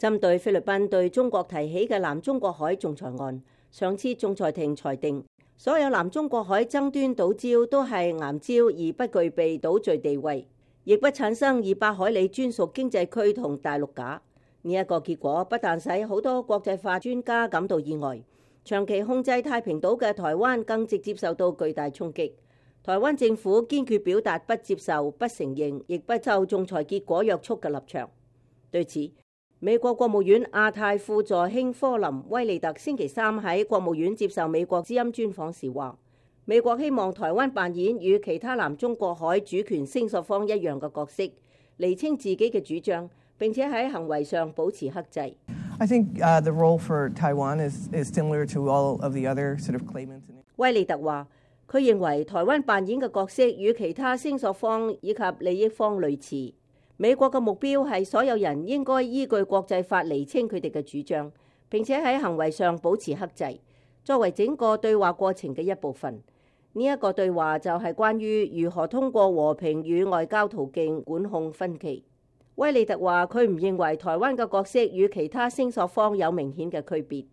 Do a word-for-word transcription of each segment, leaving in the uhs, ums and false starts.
針對菲律賓對中國提起嘅南中國海仲裁案，上次仲裁庭裁定，所有南中國海爭端島礁都係岩礁而不具備島嶼地位，亦不產生二百海里專屬經濟區同大陸架。呢一個結果不但使好多國際法專家感到意外，長期控制太平島嘅台灣更直接受到巨大衝擊。台灣政府堅決表達不接受、不承認，亦不受仲裁結果約束嘅立場。對此，美國國務院亞太副助卿科林威利特星期三喺國務院接受美國之音專訪時話，美國希望台灣扮演與其他南中國海主權聲索方一樣嘅角色，釐清自己嘅主張，並且喺行為上保持克制。I think, uh, the role for Taiwan is, is similar to all of the other sort of claimants. 威利特話，佢認為台灣扮演嘅角色與其他聲索方以及利益方類似。美國嘅目標係所有人應該依據國際法釐清佢哋嘅主張，並且喺行為上保持克制，作為整個對話過程嘅一部分。呢一個對話就係關於如何通過和平與外交途徑管控分歧。威利特話，佢唔認為台灣嘅角色與其他聲索方有明顯嘅區別。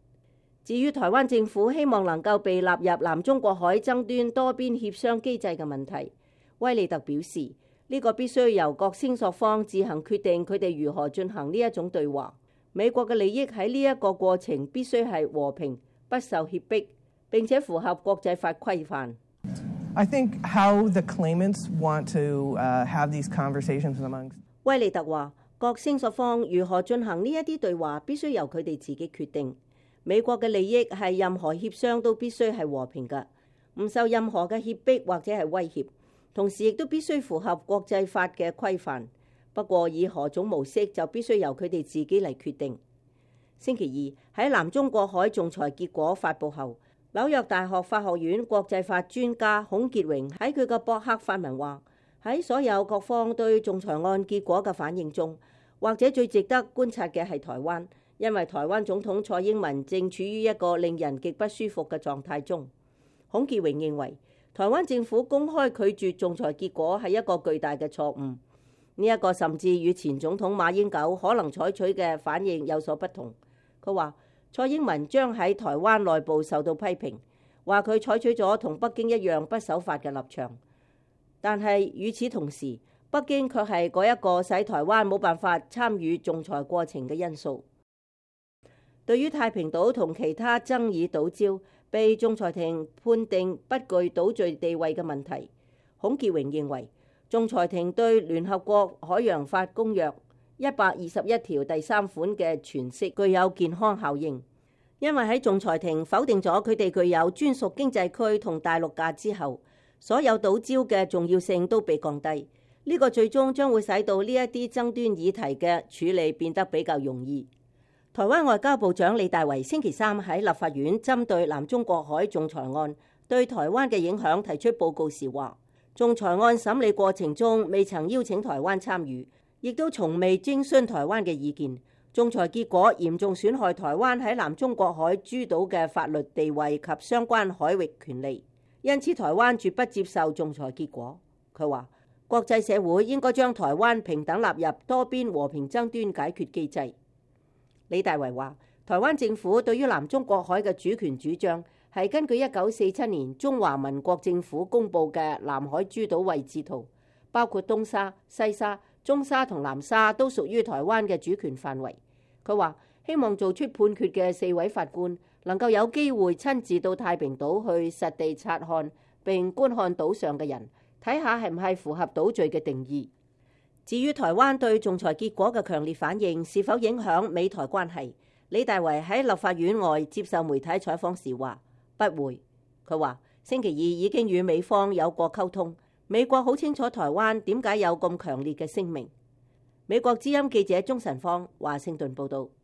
至於台灣政府希望能夠被納入南中國海爭端多邊協商機制嘅問題，威利特表示，呢個必須由各聲索方自行決定佢哋如何進行呢一種對話。美國嘅利益喺呢一個過程必須係和平、不受脅迫，並且符合國際法規範。I think how the claimants want to, uh, have these conversations amongst 威利特話，各聲索方如何進行呢一啲對話，必須由佢哋自己決定。美國嘅利益係任何協商都必須係和平嘅，唔受任何嘅脅迫或者係威脅。同時亦都必須符合國際法嘅規範，不過以何種模式就必須由佢哋自己嚟決定。星期二喺南中國海仲裁結果發佈後，紐約大學法學院國際法專家孔傑榮喺佢嘅博客發文話，喺所有各方對仲裁案結果嘅反應中，或者最值得觀察嘅係台灣，因為台灣總統蔡英文正處於一個令人極不舒服嘅狀態中。孔傑榮認為，台灣政府公開拒絕仲裁結果係一個巨大嘅錯誤，呢一個甚至與前總統馬英九可能採取嘅反應有所不同。佢話蔡英文將喺台灣內部受到批評，話佢採取咗同北京一樣不守法嘅立場，但係與此同時，北京卻係嗰一個使台灣冇辦法參與仲裁過程嘅因素。對於太平島同其他爭議島礁被仲裁庭判定不具島嶼地位嘅問題，孔傑榮認為，仲裁庭對聯合國海洋法公約一百二十一條第三款嘅詮釋具有健康效應，因為喺仲裁庭否定咗佢哋具有專屬經濟區同大陸架之後，所有島礁嘅重要性都被降低。呢個最終將會使到呢一啲爭端議題嘅處理變得比較容易。台灣外交部長李大維星期三喺立法院針對南中國海仲裁案對台灣嘅影響提出報告時話，仲裁案審理過程中未曾邀請台灣參與，亦都從未徵詢台灣嘅意見。仲裁結果嚴重損害台灣喺南中國海諸島嘅法律地位及相關海域權利，因此台灣絕不接受仲裁結果。佢話，國際社會應該將台灣平等納入多邊和平爭端解決機制。李大維話，台灣政府對於南中國海嘅主權主張係根據一九四七年中華民國政府公布嘅南海諸島位置圖，包括東沙、西沙、中沙同南沙都屬於台灣嘅主權範圍。佢話希望做出判決嘅四位法官能夠有機會親自到太平島去實地察看並觀看島上嘅人，睇下係唔係符合島嶼嘅定義。至於台灣對仲裁結果嘅強烈反應是否影響美台關係，李大維喺立法院外接受媒體採訪時話不會。佢話星期二已經與美方有過溝通，美國好清楚台灣點解有咁強烈嘅聲明。美國之音記者鍾晨芳華盛頓報道。